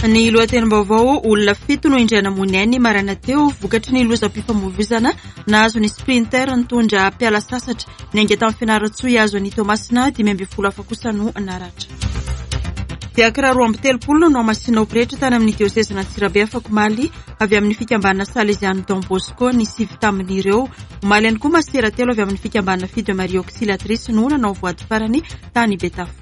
Ny lohatenim-baovao, olona fito no indray namoy ny ainy maraina teo vokatry ny lozam-pifamoivoizana nahazo ny sprinter nitondra mpiala sasatra niainga tamin'ny Fianarantsoa hihazo an'i Toamasina, 15 hafa kosa no naratra. Diakra 32 no nohamasinina ho pretra tany amin'ny diosezin'Antsirabe afakomaly avy amin'ny fikambanana Salezian'ny Don Bosco ny sivy tamin'ireo. Omaly ihany koa masera telo avy amin'ny fikambanana Fille de Marie Auxiliatrice no nanao voady farany tany Betafo.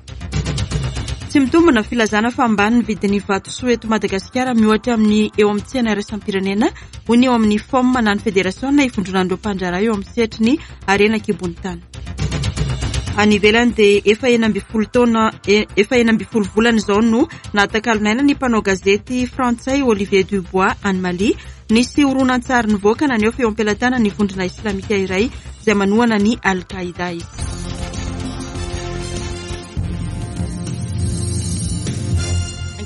Tsy mitombina filazana fa ambany ny vidin'ny vatosoa eto Madagasikara miohatra amin'ny eo amin'ny tsena iraisam-pirenena, hoy ny eo amin'ny FOM na ny Federasiona ivondronan'ireo mpandraharaha eo amin'ny sehatry ny harena an-kibon'ny tany. Any ivelany dia efa 16 taona efa 16 volana izao no nahatakalon'aina ny mpanao gazety frantsay Olivier Dubois any Mali. Nisy horonantsary nivoaka naneho fa eo am-pelatanan'ny vondrona islamika iray izay manohana ny Al-Qaïda izy.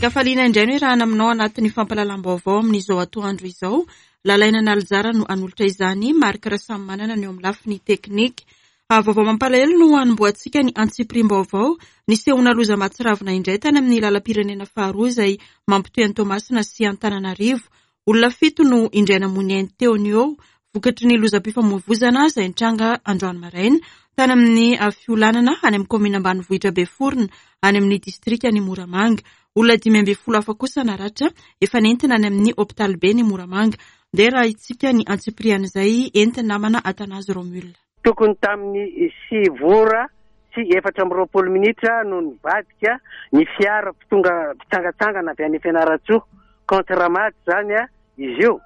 Ankafaliana indray no iarahana aminao anatin'ny fampahalalam-baovao amin'izao atoandro izao. Lalaina Nalijara no hanolotra izany, Marc Rasamimanana no eo amin'ny lafiny teknika. Vaovao mampalahelo no hanombohantsika ny antsipiriam-baovao. Nisehoana loza mahatsiravina indray tany amin'ny lalam-pirenena faharoa izay mampitohy an'i Toamasina sy Antananarivo. Olona fito no indray namoy ny ainy teo no eo vokatry ny lozam-pifamoivoizana izay nitranga androany maraina tany amin'ny fiolanana any amin'ny kaominina ambanivohitra Beforona any amin'ny distrikan'i Moramanga. Olona 15 hafa kosa naratra efa nentina any amin'ny hopitaliben'i Moramanga. Ndeha rahintsika ny antsipirian'izay entin'ny namana Athanase Romule. Tokony tamin'ny sivy ora sy 24 minitra no nivadika ny fiara mpitonga mpitsangatsangana avy any Fianarantsoa, contre Ramady izany izy io,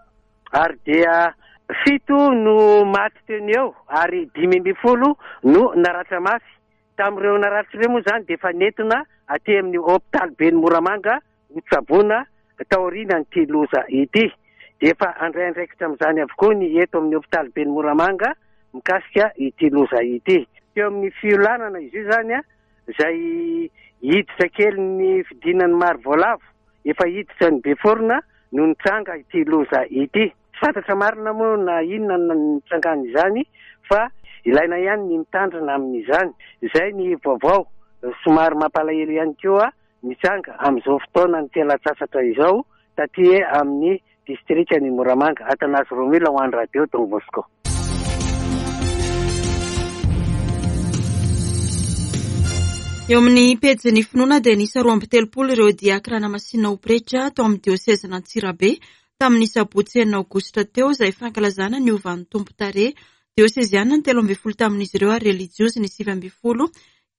ary dia fito no maty teo no eo ary 15 no naratra mafy. Tamin'ireo naratra ireo moa izany dia efa nentina aty amin'ny hopitaly ben'i Moramanga hotsaboina taorian'ity loza ity. Dia efa handray andraikitra amin'izany avokoa ny eto amin'ny hopitaly ben'i Moramanga mikasika ity loza ity. Teo amin'ny fiolanana izy io izany izay hiditra kely ny fidinan'ny maro voalavo, efa hiditra ny Beforona no nitranga ity loza ity. Tsy fantatra marina moa na inona no nitrangan'izany fa ilaina ihany ny mitandrina amin'izany. Izay ny vaovao somary mampalahelo ihany koa mitranga amin'izao fotoanan'ny fialan-tsasatra izao taty amin'ny distrikan'i Moramanga. Athanase Romila ho an'ny Radio Don Bosco. Eo amin'ny pejin'ny finoana dia niisa 32 ireo diakra namasinina ho pretra tao amin'ny diosezin'Antsirabe tamin'ny sabotsy enina aogositra teo izay fankalazana ny hovan'ny Tompo tarehy. Dioseziana ny 13 tamin'izy ireo ary relijiozy ny 19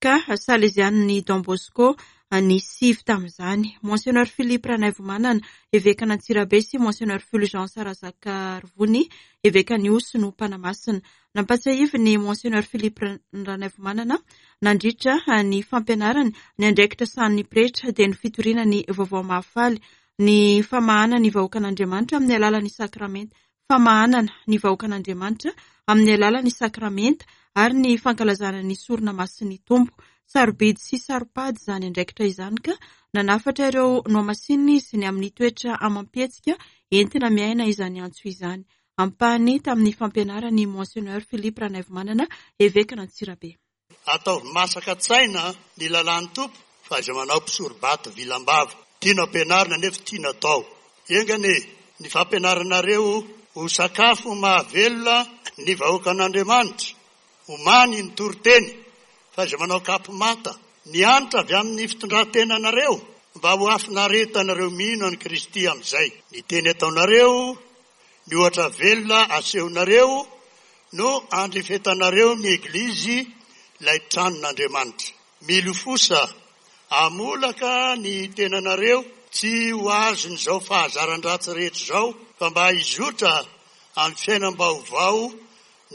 ka Salezianin'i Don Bosco ny sivy tamin'izany. Monseigneur Philippe Ranaivomanana, evekan'Antsirabe sy Monseigneur Fulgence Razakarivony, evekan'Ihosy no mpanamasina. Nampatsiahivin'i Monseigneur Philippe Ranaivomanana nandritra ny fampianarany ny andraikitra sahanin'ny pretra dia ny fitoriana ny vaovao mahafaly, ny famahana ny vahoakan'Andriamanitra amin'ny alalan'ny sakramenta famahanana ny vahoakan'Andriamanitra amin'ny alalan'ny sakramenta ary ny fankalazana ny sorona masin'ny Tompo. Sarobidy sy saro-pady izany andraikitra izany ka nanafatra ireo nohamasinina izy ny amin'ny toetra amam-pihetsika entina miaina izany antso izany. Ampahany tamin'ny fampianaran'i Monseigneur Philippe Ranaivomanana, Evekan'Antsirabe. Ataovy masaka an-tsaina ny lalàn'ny Tompo fa aza manao mpisoro-bato vilam-bava. Tiana ampianarina nefa tiana atao. Enga anie ny fampianaranareo ho sakafo mahavelona ny vahoakan'Andriamanitra. Omany ny toriteny fa aza manao kapo manta. Ny hanitra avy amin'ny fitondran-tenanareo mba ho hafinaretanareo mino an'i Kristy amin'izay. Ny teny ataonareo Ny ohatra velona asehonareo no andrefetanareo ny Eglizy, ilay tranon'Andriamanitra. Milofosa, hamolaka ny tenanareo tsy ho azon'izao fahazaran-dratsy rehetra izao, fa mba hizotra amin'ny fiainam-baovao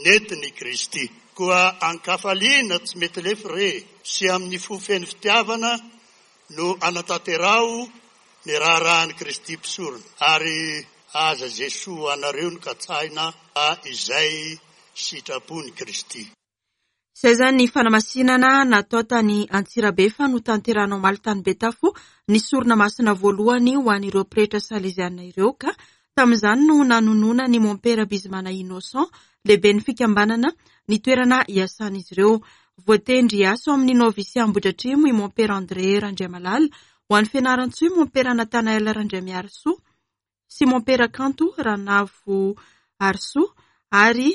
nentin'i Kristy. Koa an-kafaliana tsy mety lefy re sy amin'ny fo feno fitiavana no anatanteraho ny raharahan'i Kristy mpisorona, ary aza izay soa ho anareo no katsahina fa izay sitrapon'i Kristy. Izay izany ny fanamasinana natao tany Antsirabe fa notanterahina omaly tany Betafo ny sorona masina voalohany ho an'ireo pretra saleziana ireo ka tamin'izany no nanonona ny mompera Bizimana Innocent, lehiben'ny fikambanana, ny toerana iasan'izy ireo. Voatendry hiasa ao amin'ny Novisia Ambohidratrimo i mompera André Randriamalala. Ho an'i Fianarantsoa i Mompera Nathanael Randriamiarisoa sy Mompera Kanto Ranavo Arisoa ary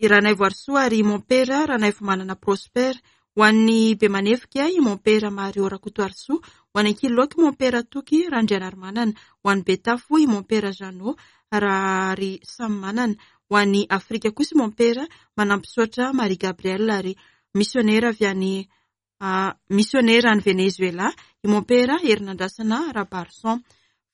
i Ranaivo Arisoa ary i Mompera Ranaivomanana Prosper. Ho an'ny Bemanevika i Mompera Mario Rakotoarisoa. Ho an'ny Ankiloky Mompera Toky Randrianarimanana. Ho an'ny Betafo i Mompera Jeannot Raharisamanana. Ho an'ny Afrika kosa i Mompera Manampisaotra Marie Gabrielle ary misionera avy any misionera any Venezuela i Mompera Herinandrasana Rabarison.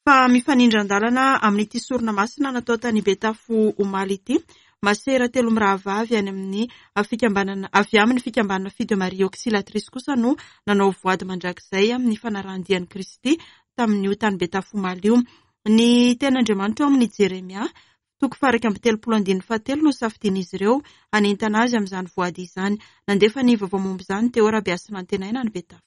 Fa mifanindran-dalana amin'ity sorona masina natao tany Betafo omaly ity, masera telo mirahavavy any amin'ny fikambanana avy amin'ny fikambanana Fille de Marie Auxiliatrice kosa no nanao voady mandrakizay amin'ny fanarahan-dian'i Kristy tamin'io tany Betafo omaly io. Ny tenin'Andriamanitra ao amin'ny Jeremia Toko faha-31 andininy fahatelo no safidian'izy ireo hanentana azy amin'izany voady izany. Nandefa ny vaovao momba izany Théo Rabehasinantenaina any Betafo.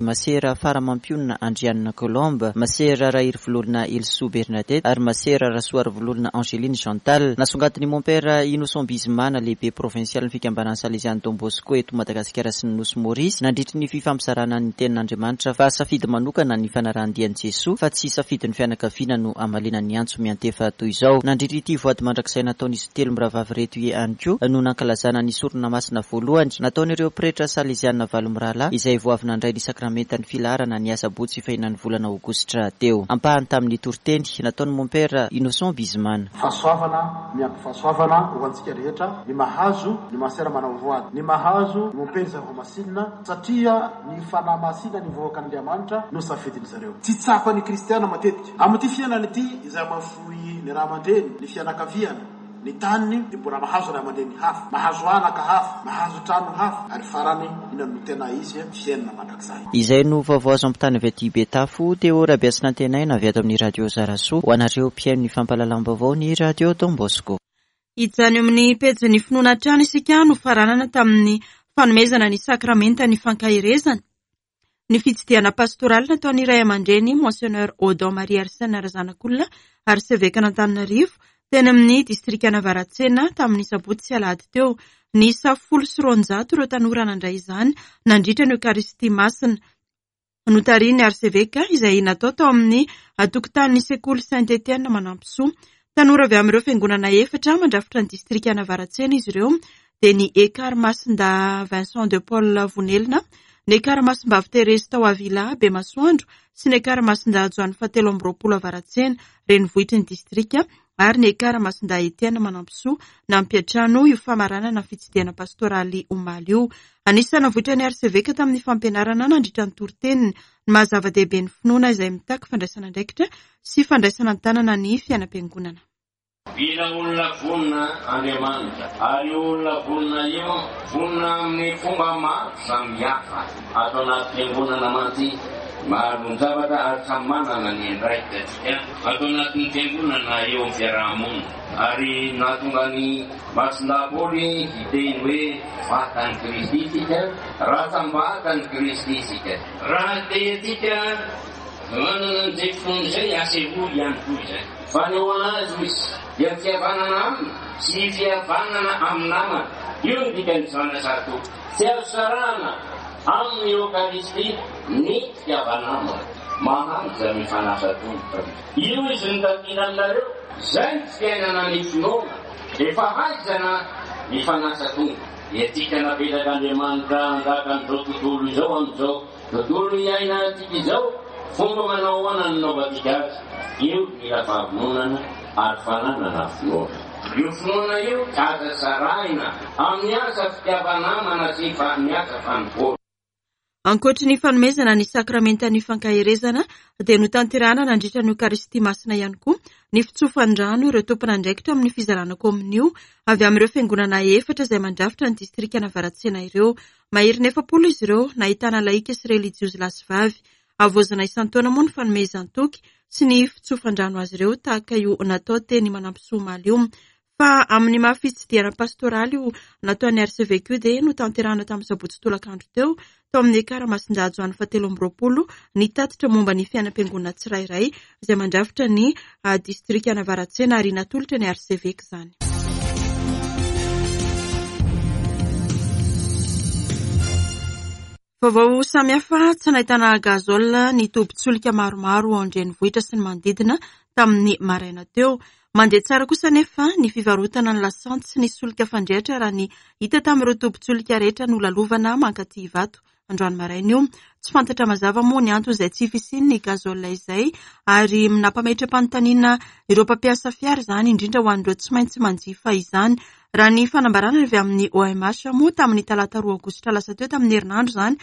Masera Faramampionona Andrianina Colombe, Masera Raherivololona Helisoa Bernadette ary Masera Rasoarivololona Angeline Chantal. Nasongadin'i Mompera Innocent Bizimana, lehibe provinsialin'ny fikambanan'ny Salezian'i Don Bosco eto Madagasikara sy ny Nosy Maurice, nandritry ny fifampizarana ny Tenin'Andriamanitra fa safidy manokana ny fanarahan-dia an'i Jesoa fa tsy safidin'ny fianakaviana no hamaliana ny antso miantefa toy izao. Nandritra ity voady mandrakizay nataon'izy telo mirahavavy ireto ihany koa no nankalazana ny sorona masina voalohany nataon'ireo pretra saleziana valo mirahalahy izay vao avy nandray ny sakramentan'ny filaharana ny asabotsy fahenan'ny volana aogositra teo. Ampahany tamin'ny toriteny nataon'i Mompera Innocent Bizimana. Fahasoavana miampy fahasoavana ho antsika rehetra ny mahazo ny masera manao voady, ny mahazo ny mompera izay hohamasinina satria ny Fanahy Masina ny vahoakan'Andriamanitra no safidin-dry zareo. Tsy tsapan'ny kristiana matetika. Amin'ity fiainana ity, izay mahafoy ny ray aman-dreny, ny fianakaviana, ny taniny, dia mbola mahazo ray aman-dreny hafa, mahazo anaka hafa, mahazo trano hafa, ary farany, inona no tena izy? Fiainana mandrakizay. Izay no vaovao azo ampitana avy aty Betafo, Théo Rabehasinantenaina avy ato amin'ny Radio Zarasoa, ho anareo mpihaino ny fampahalalam-baovao ny Radio Don Bosco. Hijanona eo amin'ny pejin'ny finoana hatrany isika nofaranana tamin'ny fanomezana ny sakramentan'ny fankaherezana. Ny fitsidihana pastoraly nataon'ny ray aman-dreny Monseigneur Odon Marie Arsène Razanakolona arsevekan'Antananarivo teny amin'ny distrikan'Avaratsena tamin'ny sabotsy sy alahady teo. Niisa 210 ireo tanora nandray izany nandritra ny Eokaristia Masina notarihin'ny arseveka izay natao tao amin'ny tokotanin'ny sekoly Saint Etienne Manampisoa. Tanora avy amin'ireo fiangonana efatra mandrafitra ny distrikan'Avaratsena izy ireo dia ny Ekar Masindahy Vincent de Paul Vonelina, ny Ekar Masimbavy Thérèse tao Avila Bemasoandro sy ny Ekar Masindahy Joany fahatelo amby roapolo Avaratsena, renivohitry ny distrika ary ny Ekar Masindahy Etienne Manampisoa nampiantrano io famaranana ny fitsidihana pastoraly omaly io. Anisan'ny navoitran'ny arseveka tamin'ny fampianarana nandritra ny toriteniny ny maha zava-dehibe ny finoana izay mitaky fandraisana andraikitra sy fandraisana an-tanana ny fiainam-piangonana. Mila olona vonona Andriamanitra, ary io olona vonona io, vonona amin'ny fomba maro samihafa. Ato anaty fiangonana mantsy, maro ny zavatra ary samy manana ny andraikitra isika ato anatin'ny fiangonana eo amin'ny fiaraha-monina. Ary nahatonga an'i Masindahy Paoly hiteny hoe vatan'i Kristy isika, rantsambatan'i Kristy isika. Raha te antsika manana an'izay finoana izay, asehoy ihany koa izany. Fanehoana azy, hoy izy, dia ny fihavanana aminy sy ny fihavanana amin'ny namana. Io no dikan'izany asa Tompo. Tsy azo sarahana amin'ny Eokaristia ny fitiava-namana. Mahantra ny fanasa Tompo. Io izy no takiana aminareo. Izay ny fiainana ny finoana. Dia fahaizana ny fanasa Tompo. Dia antsika napetrak'Andriamanitra hanjaka an'izao tontolo izao amin'izao tontolo iainantsika izao, fomba manao ahoana no nanaovantsika azy? Io mila fahavononana ary fananana finoana. Io finoana io tsy azo sarahina amin'ny asa fitiava-namana sy ny asa fanompoana. Ankoatry ny fanomezana ny sakramentan'ny fankaherezana dia notanterahana nandritra ny Eokaristia Masina ihany koa ny fitsofan-drano ireo tompon'andraikitra amin'ny fizarana kominio avy amin'ireo fiangonana efatra izay mandrafitra ny distrikan'Avaratsena ireo. Maherin'ny 40 izy ireo, nahitana lahika sy relijiozy lahy sy vavy. Havaozina isan-taona moa ny fanomezan-toky sy ny fitsofan-drano azy ireo tahaka io natao teny Manampisoa omaly io. Fa amin'ny maha fitsidihana pastoraly io nataon'ny arseveky io dia notanterahina tamin'ny sabotsy tolakandro teo tao amin'ny Ekara Masindahy Joany fahatelo amby roapolo ny tatitra momba ny fiainam-piangonana tsirairay izay mandrafitra ny distrikan'Avaratsena ary natolotra ny arseveky izany. Vaovao samihafa, tsy nahitana gazole ny tobin-tsolika maromaro ao an-drenivohitra sy ny manodidina tamin'ny maraina teo. Mandeha tsara kosa anefa ny fivarotana ny lasantsy sy ny solika fandrehitra raha ny hita tamin'ireo tobin-tsolika rehetra nolalovana mankaty Ivato androany maraina io. Tsy fantatra mazava moa ny antony izay tsy fisian'ny gazole izay ary nampametra-panontaniana ireo mpampiasa fiara izany, indrindra ho an'ireo tsy maintsy manjifa izany. Raha ny fanambarana avy amin'ny OMH moa tamin'ny talata 2 aogositra lasa teo, tamin'ny herinandro izany,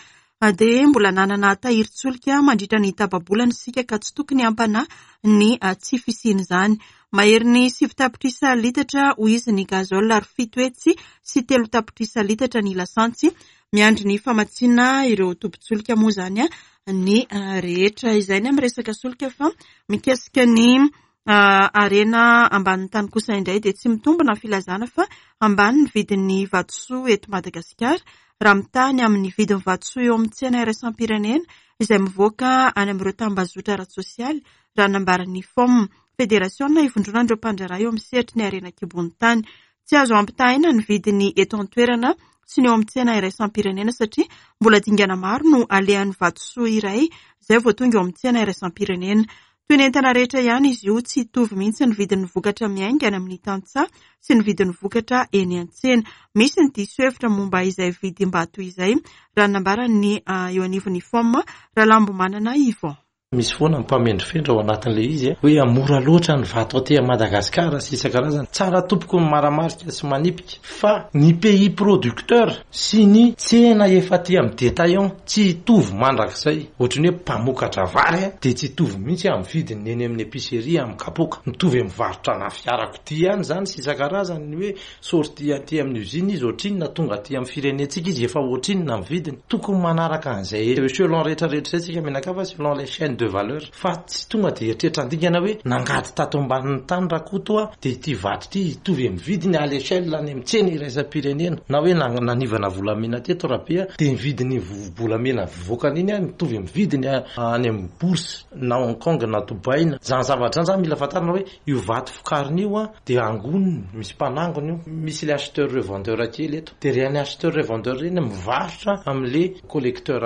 dia mbola nanana tahirin-tsolika mandritra ny tapa-bolana isika ka tsy tokony hampanahy ny tsy fisian'izany. Maherin'ny 9 tapitrisa litatra hoy izy ny gazole ary 703 tapitrisa litatra ny lasantsy. Miandry ny famatsiana ireo tobin-tsolika moa izany ny rehetra. Izay ny amin'ny resaka solika, fa mikasika ny harena ambanin'ny tany kosa indray dia tsy mitombina ny filazana fa ambany ny vidin'ny vatosoa eto Madagasikara raha mitaha ny amin'ny vidin'ny vatosoa eo amin'ny tsena iraisam-pirenena izay mivoaka any amin'ireo tambazotra ara-tsosialy, raha nambaran'ny FOM, Federasiona ivondronan'ireo mpandraharaha eo amin'ny sehatry ny harena an-kibon'ny tany. Tsy azo ampitahaina ny vidiny eto an-toerana sy ny eo amin'ny tsena iraisam-pirenena satria mbola dingana maro no alehan'ny vatosoa iray izay vao tonga eo amin'ny tsena iraisam-pirenena. Toy ny entana rehetra ihany izy io, tsy hitovy mihitsy ny vidin'ny vokatra miainga any amin'ny tantsaha sy ny vidin'ny vokatra eny an-tsena. Misy ny diso hevitra momba izay vidim-bato izay, raha ny nambaran'ny eo anivon'ny FOM, Ralambomanana Yvon. Misy foana ny mpamendrofendro ao anatin'ilay izy hoe mora loatra ny vato aty Madagasikara sy isan-karazany. Tsara tompoko ny maramarika sy manipika fa ny pays producteur sy ny tsena efa aty amin'ny détaillant tsy hitovy mandrakizay. Ohatran'ny hoe mpamokatra vary dia tsy hitovy mihitsy amin'ny vidiny eny amin'ny épicerie amin'ny kapoaka. Mitovy amin'ny varotra ana fiarakodia ihany izany sy isan-karazany ny hoe sortie aty amin'ny usine izy ohatrinona, tonga aty amin'ny firenentsika izy efa ohatrinona ny vidiny. Tokony manaraka an'izay échelon rehetra rehetra izay tsika mianakavy fa selon les chaînes de valeur fa tsy tonga dia eritreritra handingana hoe nangady tato ambanin'ny tany Rakoto a dia ity vato ity hitovy amin'ny vidiny à l'échelle any amin'ny tsena iraisam-pirenena na hoe nanivana volamena teto Rabe a dia ny vidin'ny vovo-bolamena voakany iny a mitovy amin'ny vidiny any amin'ny bourse na Hong Kong na Dubaï na izany zavatra izany zany mila fantarina hoe io vato vokarina io a dia angoniny, misy mpanangona io, misy le acheteur revendeur kely eto, dia ireny acheteur revendeur ireny mivarotra amin'le collecteur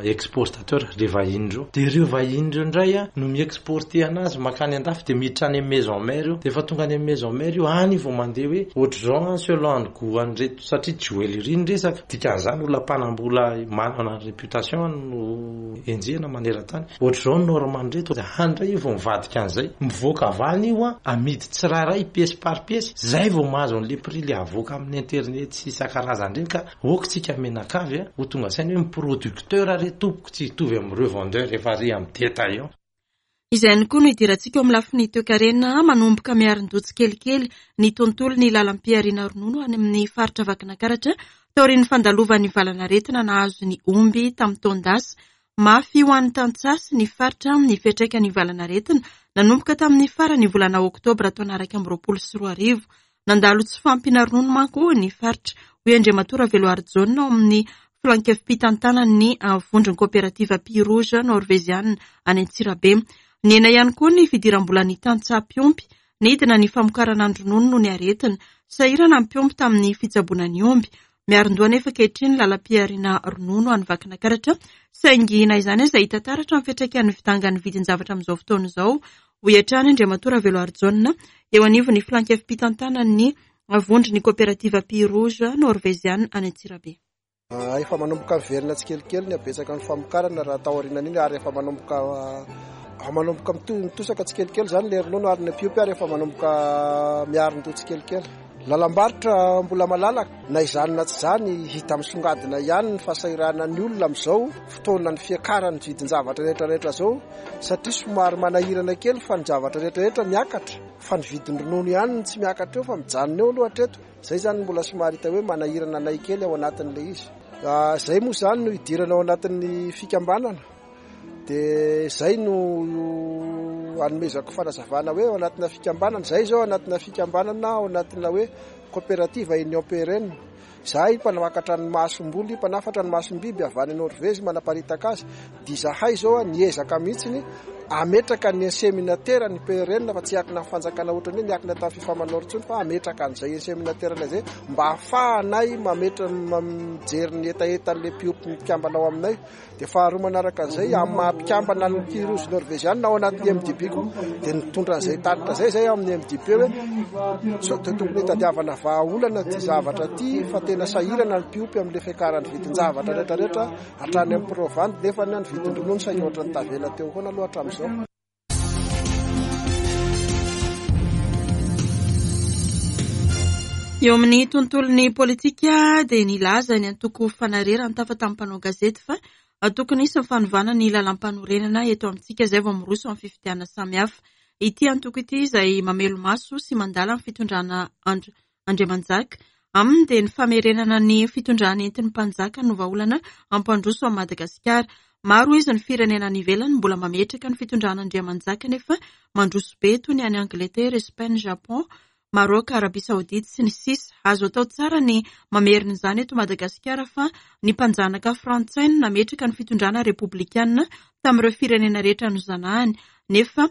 exportateur, le vahiny ireo, dia ireo vahiny ireo indray a no mi-exporter anazy mankany andafy, dia miditra any amin'ny maison mère io, dia efa tonga any amin'ny maison mère io, any vao mandeha hoe ohatr'izao an selon ny gout an'ireto, satria joellerie ny resaka, dikan'izany olona mpanam-bola manana réputation no enjehina maneran-tany. Ohatr'izao ny norme an'ireto, any indray io vao mivadika an'izay. Mivoaka avy any io an, amidy tsirairay pièce par pièce, zay vao mahazo an'le prix le avoaka amin'ny internet sy isan-karazany ireny ka ok tsika mianakavy an, ho tonga saina hoe ny producteur re tompoko tsy hitovy amin'ny revendeur efa ary amin'ny détaillant. Izay ihany koa no hidirantsika eo amin'ny lafiny toekarena, manomboka miarin-doha tsikelikely ny tontolon'ny lalam-pihariana ronono any amin'ny faritra Vakinankaratra taorian'ny fandalovan'ny valan'aretina nahazo ny omby tamin'ny taon-dasa. Mafy ho an'ny tantsaha sy ny faritra ny fiantraikan'ny valan'aretina nanomboka tamin'ny faran'ny volana oktobra taona 2021. Nandalo tsy fahampiana ronono manko ny faritra, hoy Andriamatoa Raveloarijaona ao amin'ny filankevi-pitantanan'ny vondron'ny koperativa Pied Rouge Norveziana any Antsirabe. Nihena ihany koa ny fidiram-bolan'ny tantsaha mpiompy. Nidina ny famokarana ny ronono noho ny aretina. Sahirana ny mpiompy tamin'ny fitsaboana ny omby. Miarin-doha anefa ankehitriny ny lalam-pihariana ronono any Vakinakaratra, saingy na izany aza hita taratra ny fiantraikan'ny fidangan'ny vidin-javatra amin'izao fotoana izao, hoy hatrany Andriamatoa Raveloarijaona, eo anivon'ny filankevi-pitantanan'ny vondron'ny koperativa Pied Rouge Norveziana any Antsirabe. Efa manomboka miverina tsikelikely ny habetsaka ny famokarana raha tao aorianan'iny ary efa manomboka manomboka mitosaka tsikelikely izany ilay ronono ary ny mpiompy ary efa manomboka miarin-doha tsikelikely. Lalam-barotra mbola malalaka, na izany na tsy izany hita misongadina ihany ny fahasahiranan'ny olona amin'izao fotoanan'ny fiakaran'ny vidin-javatra rehetra rehetra izao satria somary manahirana kely fa ny zavatra rehetra rehetra miakatra fa ny vidin'ny ronono ihany no tsy miakatra eo fa mijanona eo aloha hatreto. Zay zany no mbola somary hita hoe manahirana anay kely ao anatin'ilay izy. Zay moa zany no idirana ao anatin'ny fikambanana dia zay no anomezako fanazavana hoe ao anatina fikambanana. Zay zao anatina fikambanana ao anatina hoe coopérative Union PRN. Zahay mpanamakatra ny masomboly, mpanafatra ny masombiby avy any Norvezy manaparitaka azy. Dia izahay zao niezaka mihitsiny. hametraka ny inseminateur ny PRN fa tsy hiankina amin'ny fanjakana ohatran'ny hoe niankina tamin'ny Fifamanor intsony fa hametraka an'izay inseminateur izay mba hahafahanay mametra mijery ny hetahetan'ilay mpiompy mpikambana ao aminay. Dia faharoa manaraka an'izay, amin'ny maha mpikambana ny Tia Rouge Norveziana ao anatin'ny MDB koa dia nitondra an'izay tatitra izay izay ao amin'ny MDB hoe sao dia tokony hitadiavana vahaolana ity zavatra ity fa tena sahirana ny mpiompy amin'ilay fiakaran'ny vidin-javatra rehetrarehetra hatrany amin'ny provandy nefa ny vidin-dronono saika ohatran'ny tavela teo foana aloha hatramin'izao. Eo amin'ny tontolon'ny politika dia nilaza ny antoko Fanare raha nitafa tamin'ny mpanao gazety fa tokony hisy ny fanovana ny lalàmpanorenana eto amintsika izay vao miroso amin'ny fifidianana samihafa. Ity antoko ity izay mamelo-maso sy mandala ny fitondrana Andriamanjaka. Aminy dia ny famerenana ny fitondrana entin'ny mpanjaka no vahaolana hampandroso an'i Madagasikara. Maro izy ny firenena any ivelany mbola mametraka ny fitondrana Andriamanjaka nefa mandroso be toy ny any Angletera, Espagne, Japon, Maroc, Arabie Saoudite sy ny sisa Azo atao tsara ny mamerina izany eto Madagasikara fa ny mpanjanaka frantsay no nametraka ny fitondrana repoblikana tamin'ireo firenena rehetra nozanahany nefa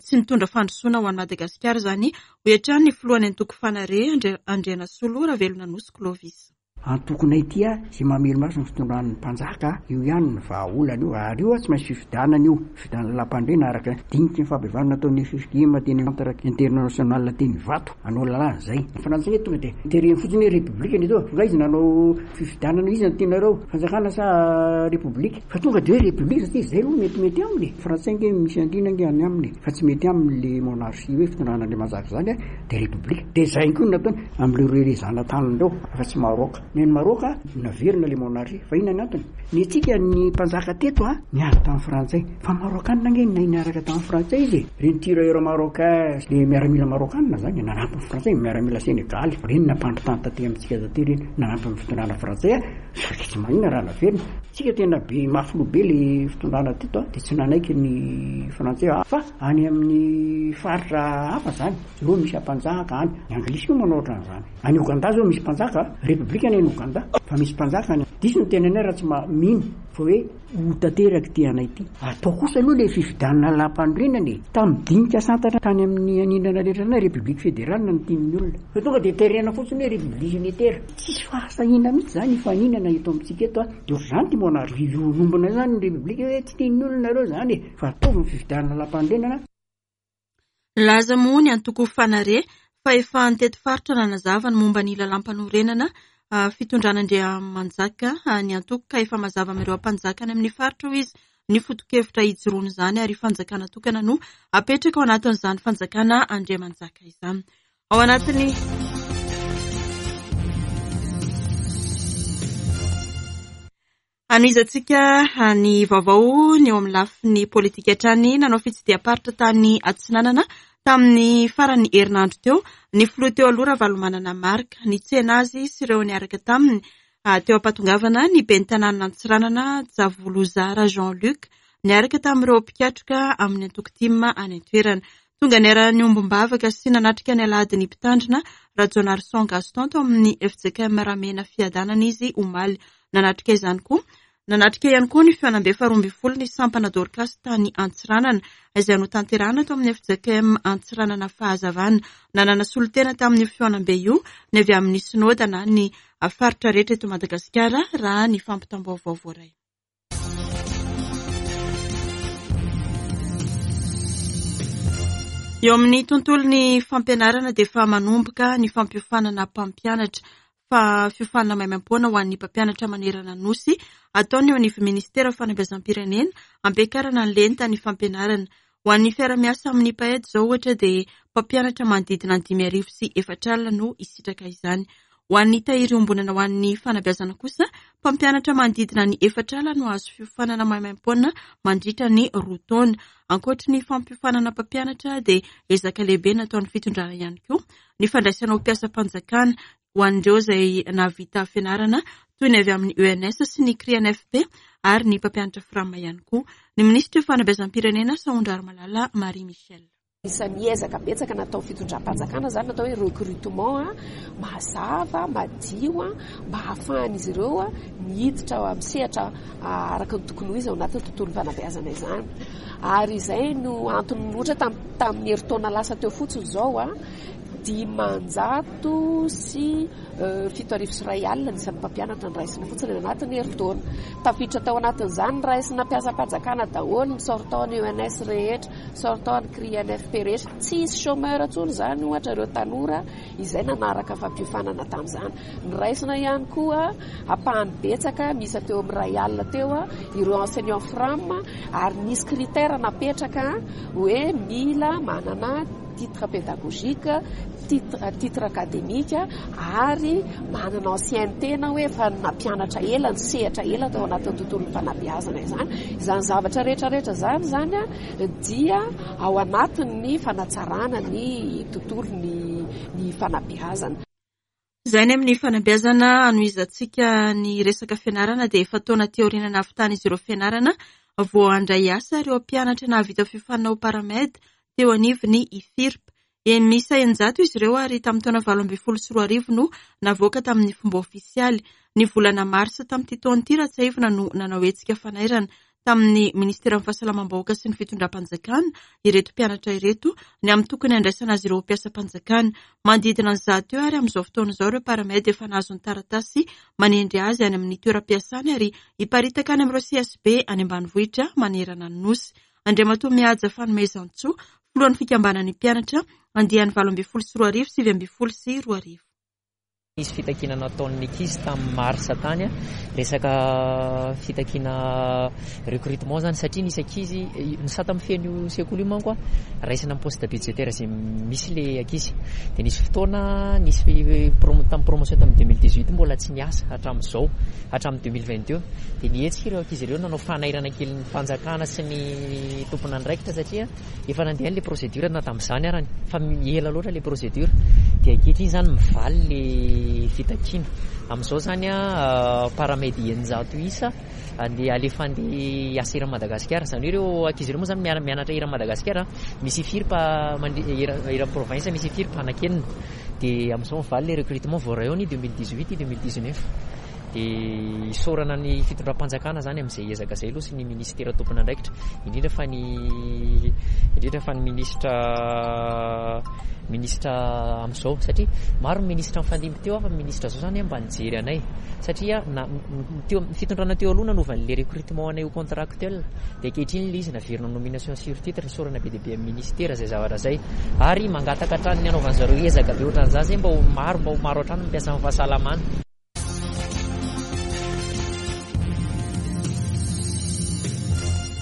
tsy nitondra fandrosoana ho an'i Madagasikara izany, hoy hatrany ny filohan'ny antoko Fanare, Andrianasolo Ravelonanosy Clovis. Antokonay ity a, izay mamelo-maso ny fitondran'ny mpanjaka, io ihany ny vahaolana io, ary io a tsy maintsy fifidianana io, fifidianana lalàmpandriana araka ny diniky ny fampihavanana nataon'ny ffkm teny Centre International teny Ivato, hanao lalàna izay. Ny frantsay nge tonga dia tereny fotsiny hoe repoblika ny eto, nga izy nanao fifidianana, iza no tianareo, fanjakana sa repoblika? Fa tonga de hoe république satria zay aloha metimety aminy e! Frantsay nge misy andriana nge any aminy e! Fa tsy mety aminy le monarchie hoe fitondrana andriamanjaka zany a, de république. De zay koa no nataony amle reo zanatany reo afa tsy Maroc. Ny any Maroc naverina le monarchie fa inona ny antony? Ny antsika ny mpanjaka teto a niady tamin'ny frantsay fa marokanina nge nahay niaraka tamin'ny frantsay izy e! Reny tirailleurs marocains le miaramila marokanina zany e nanampy ny frantsay, miaramila senegaly reny nampandry tany taty amintsika taty reny nanampy ny fitondrana frantsay a! Saika tsy maninona raha naverina. Tsika tena be mafy loha be le fitondrana teto a, de tsy nanaiky ny frantsay fa any amin'ny faritra hafa zany ireo misy ampanjaka any, ny anglisy koa manao ohatran'izany, any Ouganda zao misy mpanjaka, repoblika ny any Ouganda fa misy mpanjaka any, diso ny tenanay raha tsy mino fa hoe ho tanteraka ity anay ity. Atao kosa aloha le fifidianana lalàmpanorenana e, tamin'ny dinika santatra tany amin'ny anindrana rehetra tany république fédérale no tian'ny olona, fa tonga de terena fotsiny hoe république unitaire. Tsisy fahasahiana mihitsy zany hifaninana eto amintsika eto a! De ohatr'izany ity monarchie io iombona io zany ny république hoe tsy tian'ny olona nareo zany e! Fa ataovy ny fifidianana lalàmpanorenana. Nilaza moa ny antoko Fanare fa efa nitety faritra nanazava ny momba ny lalàmpanorenana fitondrana Andriamanjaka ny antoko ka efa mazava amin'ireo ampanjaka any amin'ny faritra hoy izy ny foto-kevitra hijoroan'izany ary fanjakana tokana no apetraka ao anatin'izany fanjakana Andriamanjaka izany. Ao anatin'ny Hanohizantsika ny vaovao ny eo amin'ny lafiny politika hatrany. Nanao fitsidiham-paritra tany Atsinanana tamin'ny faran'ny herinandro teo ny filoha teo aloha Ravalomanana Marc. Nitsena azy sy ireo niaraka taminy teo am-pahatongavana ny ben'ny tanànan'Antsiranana Javolozara Jean Luc niaraka tamin'ireo mpikatroka amin'ny antoko tim any an-toerana. Tonga niara-niombom-bavaka sy nanatrika ny alahady ny mpitandrina Rajaonarison Gaston tao amin'ny fjkm Ramena Fiadanana izy omaly. Nanatrika izany koa Nanatrika ihany koa ny fihaonambe faharoa ambin'ny folo ny sampana Dorcas tany Antsiranana izay notanterahina tao amin'ny fjkm Antsiranana Fahazavana. Nanana solontena tamin'io fihaonambe io ny avy amin'ny Synoda na ny faritra rehetra eto Madagasikara raha ny fampitam-baovao voaray. Eo amin'ny tontolon'ny fampianarana dia efa manomboka ny fampiofanana mpampianatra fa fiofanana maimaimpoana ho an'ny mpampianatra manerana ny Nosy ataon'ny eo anivon'ny Minisitera fanabeazam-pirenena hampiakarana ny lentan'ny fampianarana. Ho an'ny fiara-miasa amin'ny PAED izao ohatra dia mpampianatra manodidina ny 450 no hisitraka izany. Ho an'ny tahiry iombonana ho an'ny fanabeazana kosa, mpampianatra manodidina ny 40 no hahazo fiofanana maimaimpoana mandritra ny roa taona. Ankoatry ny fampiofanana mpampianatra dia ezaka lehibe nataon'ny fitondrana ihany koa ny fandraisana ho mpiasam-panjakana ho an'ireo izay nahavita fianarana toy ny avy amin'ny ENS sy ny CRINFP ary ny mpampianatra Fram ihany koa. Ny minisitry ny fanabeazam-pirenena Sahondrarimalala Marie Michelle. Isan'ny ezaka betsaka natao fitondram-panjakana izany natao hoe recrutement mazava, madio mba hahafahan'izy ireo miditra amin'ny sehatra araka ny tokony ho izy ao anatin'ny tontolon'ny fanabeazana izany. Ary izay no antony ohatra tamin'ny herintaona lasa teo fotsiny izao, 1407 ny isan'ny mpampianatra noraisina fotsiny any anatin'ny herintaona. Tafiditra tao anatin'izany ny raisina mpiasam-panjakana daholo, ny sortant ny ENS rehetra, sortant ny CRI NFP rehetra. Tsy hisy chômeur intsony izany ohatra ireo tanora izay nanaraka fampiofanana tamin'izany. Noraisina ihany koa ampahany betsaka miisa teo amin'ny 1000 teo ireo enseignant fram ary nisy critère napetraka hoe mila manana titre pédagogique, titre titre académique ary manana ancienneté na hoe efa nampianatra ela, nisehatra ela tao anatin'ny tontolon'ny fanabeazana izany. Izany zavatra rehetra rehetra izany izany dia ao anatin'ny fanatsarana ny tontolon'ny ny fanabeazana. Izay ny amin'ny fanabeazana hanohizantsika ny resaka fianarana dia efa taona aty aoriana nahavitan'izy ireo fianarana vao handray asa ireo mpianatra nahavita fiofanana ho paramed teo anivon'ny IFIRP. Eny miisa 600 izy ireo ary tamin'ny taona 2018 no navoaka tamin'ny fomba ofisialy. Ny volana marsa tamin'ity taona ity raha tsiahivina no nanao hetsika fanairana tamin'ny Ministeran'ny Fahasalamam-bahoaka sy ny Fitondram-panjakana ireto mpianatra ireto ny amin'ny tokony handraisana azy ireo ho mpiasam-panjakana. Manodidina ny 100 eo ary amin'izao fotoana izao ireo paramed efa nahazo ny taratasy manendry azy any amin'ny toeram-piasany ary hiparitaka any amin'ireo CSB any ambanivohitra manerana ny Nosy. Andriamatoa Mihaja Fanomezantsoa, filohan'ny fikambanan'ny mpianatra andiany 2018 2019. Nisy fitakiana nataon'ny ankizy tamin'ny mars tany, resaka fitakiana recrutement zany satria nisy ankizy, ny sata mifehy an'io sekoly io manko raisina amin'ny poste budgétaire izay misy le ankizy. Dia nisy fotoana nisy tamin'ny promotion tamin'ny 2018 mbola tsy niasa hatramin'izao, hatramin'ny 2022. Dia nihetsika ireo ankizy ireo nanao fanairana kely ny fanjakana sy ny tompon'andraikitra satria Efa nandeha ilay procédure na tamin'izany arany fa ela loatra ilay procédure dia ankehitriny izany mivaly ilay fitakiana. Amin'izao izany paramedy 600 isa andeha alefa andeha hiasa eran'i Madagasikara. Izany hoe ireo ankizy ireo moa izany mianatra eran'i Madagasikara, misy ifirp eran'ny province misy ifirp anakenina. Dia amin'izao mivaly ilay recrutement voaray ao ny 2018 2019. Dia isaorana ny fitondram-panjakana izany amin'izay ezaka izay aloha sy ny minisitera tompon'andraikitra, indrindra fa ny indrindra fa ny minisitra minisitra amin'izao satria maro ny minisitra nifandimby teo fa ny minisitra izao izany mba nijery anay satria na teo ny fitondrana teo aloha nanova an'ilay recrutement anay ho contractuel dia ankehitriny ilay izy naverina nomination sur titre. Isaorana be dia be amin'ny minisitera izay zavatra izay ary mangataka hatrany ny hanaovan'zareo ezaka be ohatran'izany izay mba ho maro mba ho maro hatrany ny mpiasan'ny fahasalamana.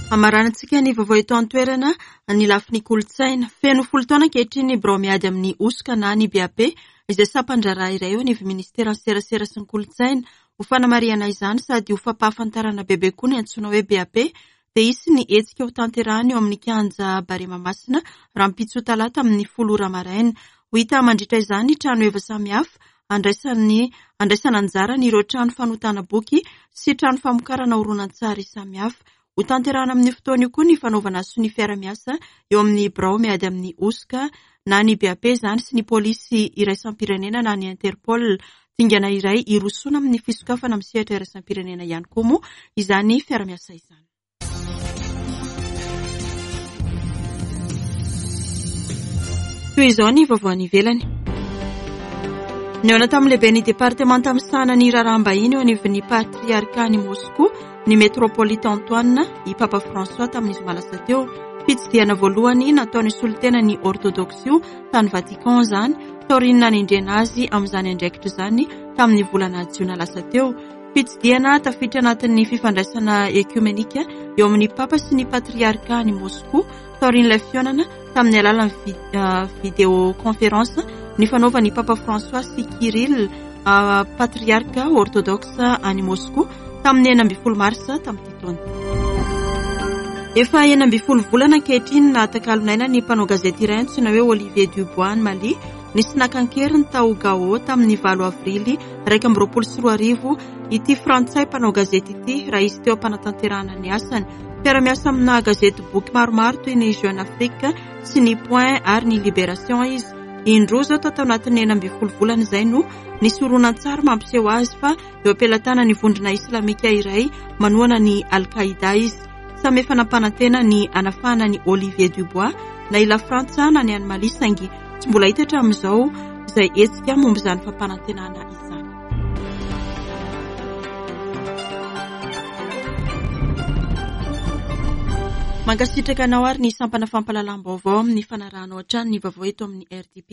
Hamaranantsika ny vaovao eto an-toerana ny lafiny kolontsaina. Feno folo taona ankehitriny ny birao miady amin'ny hosoka na ny BAP izay sampan-draharaha iray eo anivon'ny ministeran'ny serasera sy ny kolontsaina. Ho fanamarihana izany sady ho fampahafantarana bebe koa ny antsoina hoe BAP dia hisy ny hetsika ho tanterahina eo amin'ny kianja Barea Mahamasina rahampitso talata amin'ny folo ora maraina. Ho hita mandritra izany ny trano heva samihafa andraisan'ny andraisana anjara an'ireo trano fanotana boky sy trano famokarana horonantsary samihafa. Ho tanterahina amin'io fotoana io koa ny fanaovana sonia fiara-miasa eo amin'ny birao miady amin'ny hosoka na ny BAP izany sy ny polisy iraisam-pirenena na ny Interpol. Dingana iray hirosoana amin'ny fisokafana amin'ny sehatra iraisam-pirenena ihany koa moa izany fiara-miasa izany. Toy izao ny vaovao any ivelany. Nihaona tamin'ny lehiben'ny departemanta misahana ny raharaham-bahiny eo anivon'ny patriarcat-n'i Moscou ny Metropolite Antoine i Papa François tamin'ny zoma lasa teo. Fitsidihana voalohany nataon'ny solontena ny Orthodoxe io tany Vatican izany taorian'ny nanendrena azy amin'izany andraikitra izany tamin'ny volana jiona lasa teo. Fitsidihana tafiditra anatin'ny fifandraisana ekiomenika eo amin'ny Papa sy ny Patriarka any Moscou taorian'ilay fihaonana tamin'ny alalan'ny vidéoconférence nifanaovan'ny Papa François sy Kirill, Patriarka Orthodoxe any Moscou tamin'ny 16 marsa tamin'ity taona. Efa 16 volana ankehitriny nahatakalon'aina ny mpanao gazety iray antsoina hoe Olivier Dubois any Mali, nisy naka an-keriny tao Gao tamin'ny 8 avrily 2021 ity frantsay mpanao gazety ity raha izy teo am-panatanterahana ny asany. Mpiara-miasa amina gazety boky maromaro toy ny Jeune Afrique sy ny Point ary ny Libération izy. Indroa izao tato anatin'ny 16 volana izay no nisy horonantsary mampiseho azy fa eo am-pelatanan'ny vondrona islamika iray manohana ny Al-Qaïda izy. Samy efa nampanantena ny hanafahana an'i Olivier Dubois na i Lafrantsa na ny any Mali saingy tsy mbola hita hatramin'izao izay hetsika momba izany fampanantenana izany. Mankasitraka anao ary ny sampana fampahalalam-baovao amin'ny fanarahanao hatrany ny vaovao eto amin'ny RTP.